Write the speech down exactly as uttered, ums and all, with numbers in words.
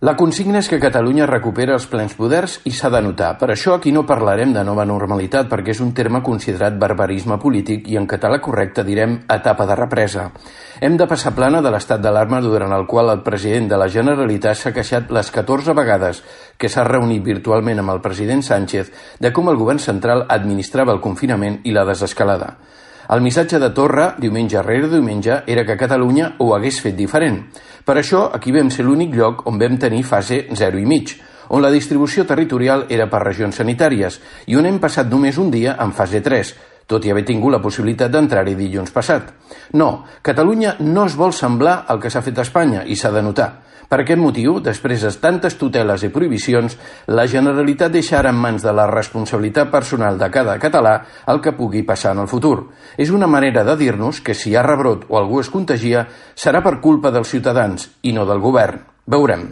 La consigna és que Catalunya recupera els plens poders i s'ha de notar. Per això aquí no parlarem de nova normalitat, perquè és un terme considerat barbarisme polític i en català correcte direm etapa de represa. Hem de passar plana de l'estat d'alarma durant el qual el president de la Generalitat s'ha queixat les catorze vegades que s'ha reunit virtualment amb el president Sánchez de com el govern central administrava el confinament i la desescalada. El missatge de Torra, diumenge rere diumenge, era que Catalunya ho hagués fet diferent. Per això, aquí vam ser l'únic lloc on vam tenir fase zero i mig, on la distribució territorial era per regions sanitàries i on hem passat només un dia en fase tres, tot i haver tingut la possibilitat d'entrar-hi dilluns passat. No, Catalunya no es vol semblar al que s'ha fet a Espanya i s'ha de notar. Per aquest motiu, després de tantes tuteles i prohibicions, la Generalitat deixa ara en mans de la responsabilitat personal de cada català el que pugui passar en el futur. És una manera de dir-nos que si hi ha rebrot o algú es contagia serà per culpa dels ciutadans i no del govern. Veurem.